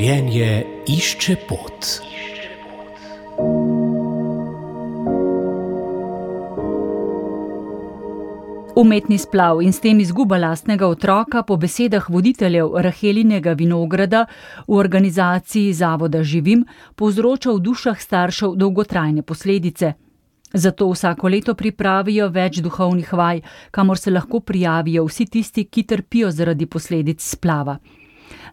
Življenje išče pot. Umetni splav in s tem izguba lastnega otroka po besedah voditeljev Rahelinega vinograda v organizaciji Zavoda Živim povzroča v dušah staršev dolgotrajne posledice. Zato vsako leto pripravijo več duhovnih vaj, kamor se lahko prijavijo vsi tisti, ki trpijo zaradi posledic splava.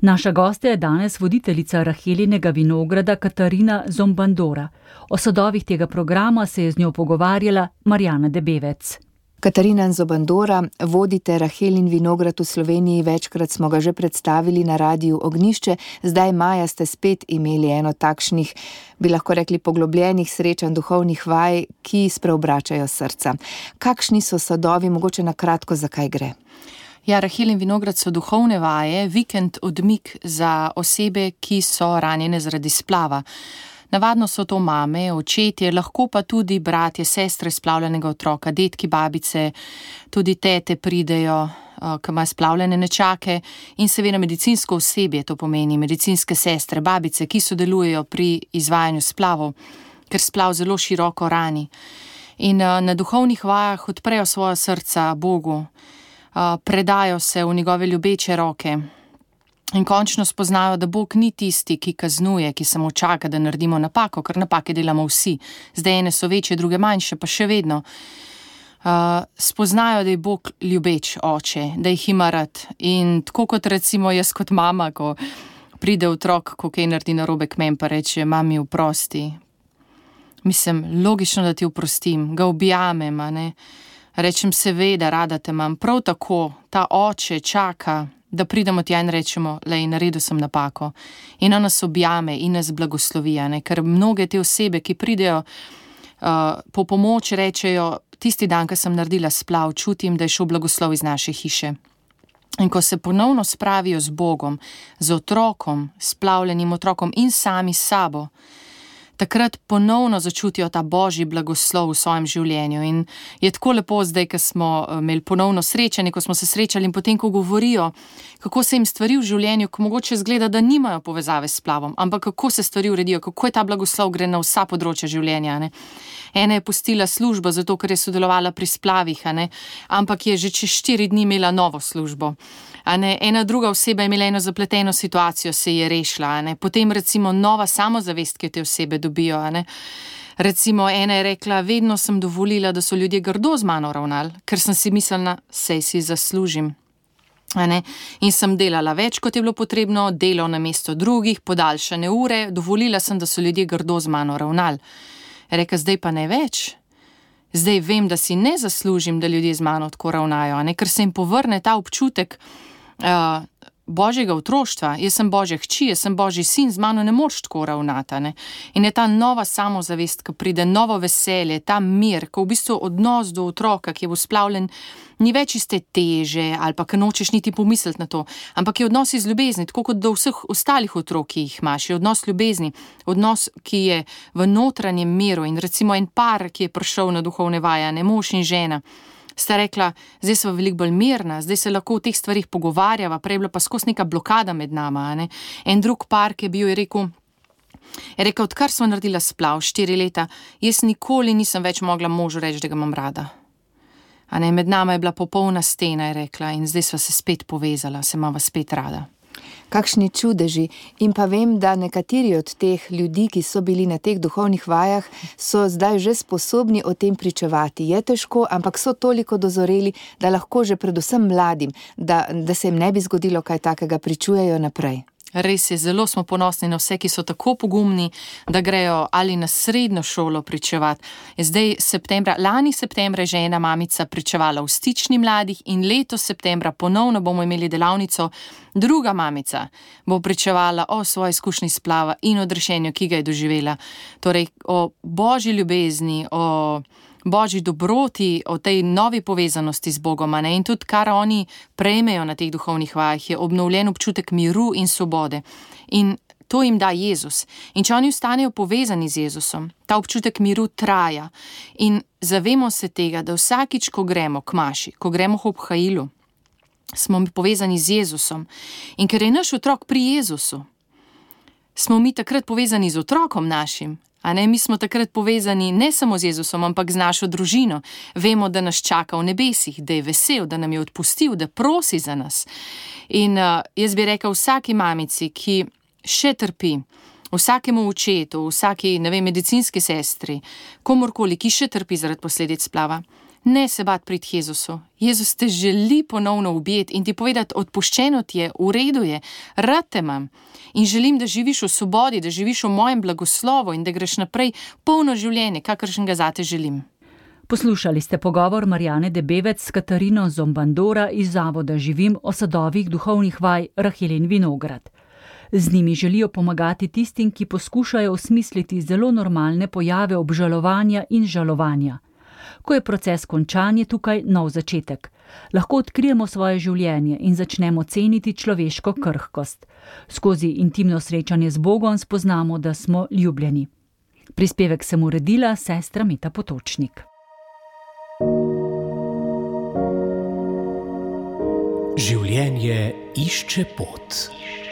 Naša gostja je danes voditeljica Rahelinega vinograda Katarina Zombandora. O sadovih tega programa se je z njo pogovarjala Marjana Debevec. Katarina Zombandora, vodite Rahelin vinograd v Sloveniji, večkrat smo ga že predstavili na Radiu Ognjišče, zdaj maja ste spet imeli eno takšnih, bi lahko rekli, poglobljenih srečanj duhovnih vaj, ki spreobračajo srca. Kakšni so sadovi, mogoče na kratko, zakaj gre? Ja, Rahelin vinograd so duhovne vaje, vikend odmik za osebe, ki so ranjene zaradi splava. Navadno so to mame, očetje, lahko pa tudi bratje, sestre splavljenega otroka, dedki, babice, tudi tete pridejo, ki imajo splavljene nečake, in seveda medicinsko osebje, to pomeni medicinske sestre, babice, ki sodelujejo pri izvajanju splavov, ker splav zelo široko rani. In na duhovnih vajah odprejo svoja srca Bogu, predajo se v njegove ljubeče roke. In končno spoznajo, da Bog ni tisti, ki kaznuje, ki samo čaka, da naredimo napako, ker napake delamo vsi. Zdaj ene so večje, druge manjše, pa še vedno. Spoznajo, da je Bog ljubeč oče, da jih ima rad. In tako kot recimo jaz kot mama, ko pride otrok, ko kaj naredi narobe k meni, pa reče, mami, oprosti. Mislim, logično, da ti oprostim, ga objamem, a ne. Rečem, seveda, rada te imam. Prav tako, ta oče čaka, da pridemo tja in rečemo, lej, naredil sem napako. In on nas objame in nas blagoslovi, ne? Ker mnoge te osebe, ki pridejo po pomoč, rečejo, tisti dan, ko sem naredila splav, čutim, da je šel blagoslov iz naše hiše. In ko se ponovno spravijo z Bogom, z otrokom, splavljenim otrokom in sami s sabo, takrat ponovno začutijo ta božji blagoslov v svojem življenju. In je tako lepo zdaj, ko smo imeli ponovno srečanje, ko smo se srečali in potem, ko govorijo, kako se jim stvari v življenju, ko mogoče zgleda, da nimajo povezave s splavom, ampak kako se stvari uredijo, kako je ta blagoslov gre na vsa področja življenja. Ne? Ena je pustila službo, zato ker je sodelovala pri splavih, ne? Ampak je že čez 4 dni imela novo službo. Ena druga oseba je imela eno zapleteno situacijo, se je rešila. Potem recimo nova samozavest, ki te osebe dobijo. Recimo ena je rekla, vedno sem dovolila, da so ljudje grdo z mano ravnali, ker sem si mislila, sej si zaslužim. In sem delala več, kot je bilo potrebno, delal na mesto drugih, podaljšane ure, dovolila sem, da so ljudje grdo z mano ravnali. Reka, zdaj pa ne več. Zdaj vem, da si ne zaslužim, da ljudje z mano tako ravnajo, ker se jim povrne ta občutek božjega otroštva. Jaz sem božja hči, jaz sem božji sin, z mano ne moreš tako ravnati. In je ta nova samozavest, ko pride novo veselje, ta mir, ko v bistvu odnos do otroka, ki je bil splavljen, ni več iste teže ali pa ko nočeš niti pomisliti na to, ampak je odnos iz ljubezni, tako kot do vseh ostalih otrok, ki jih imaš, je odnos ljubezni, odnos, ki je v notranjem miru. In recimo en par, ki je prišel na duhovne vaje, mož in žena, sta rekla, zdaj sva veliko bolj mirna, zdaj se lahko v teh stvarih pogovarjava, prej je bila pa skozi neka blokada med nama. En drug par, ki je bil, je rekel, odkar sva naredila splav 4 leta, jaz nikoli nisem več mogla možu reči, da ga imam rada. Med nama je bila popolna stena, je rekla, in zdaj sva se spet povezala, se imava spet rada. Kakšni čudeži. In pa vem, da nekateri od teh ljudi, ki so bili na teh duhovnih vajah, so zdaj že sposobni o tem pričevati. Je težko, ampak so toliko dozoreli, da lahko že predvsem mladim, da se jim ne bi zgodilo kaj takega, pričujejo naprej. Res je, zelo smo ponosni na vse, ki so tako pogumni, da grejo ali na srednjo šolo pričevati. Lani septembra je že ena mamica pričevala v Stični mladih in letos septembra ponovno bomo imeli delavnico. Druga mamica bo pričevala o svoji izkušnji splava in odrešenju, ki ga je doživela. Torej o božji ljubezni, o božji dobroti, o tej novi povezanosti z Bogom. In tudi kar oni prejmejo na teh duhovnih vajah, je obnovljen občutek miru in svobode. In to jim da Jezus. In če oni ostanejo povezani z Jezusom, ta občutek miru traja. In zavemo se tega, da vsakič, ko gremo k maši, ko gremo k obhajilu, smo povezani z Jezusom. In ker je naš otrok pri Jezusu, smo mi takrat povezani z otrokom našim. A ne, mi smo takrat povezani ne samo z Jezusom, ampak z našo družino. Vemo, da nas čaka v nebesih, da je vesel, da nam je odpustil, da prosi za nas. In jaz bi rekel vsaki mamici, ki še trpi, vsakemu očetu, vsaki, medicinski sestri, komorkoli, ki še trpi zaradi posledic splava, ne se bat priti Jezusu. Jezus te želi ponovno objeti in ti povedati, odpuščeno ti je, v redu je, rad te imam. In želim, da živiš v svobodi, da živiš v mojem blagoslovu in da greš naprej polno življenje, kakršnega zate želim. Poslušali ste pogovor Marjane Debevec s Katarino Zombandora iz Zavoda Živim o sadovih duhovnih vaj Rahelin Vinograd. Z njimi želijo pomagati tistim, ki poskušajo osmisliti zelo normalne pojave obžalovanja in žalovanja. Ko je proces končan, je tukaj nov začetek. Lahko odkrijemo svoje življenje in začnemo ceniti človeško krhkost. Skozi intimno srečanje z Bogom spoznamo, da smo ljubljeni. Prispevek sem uredila sestra Meta Potočnik. Življenje išče pot.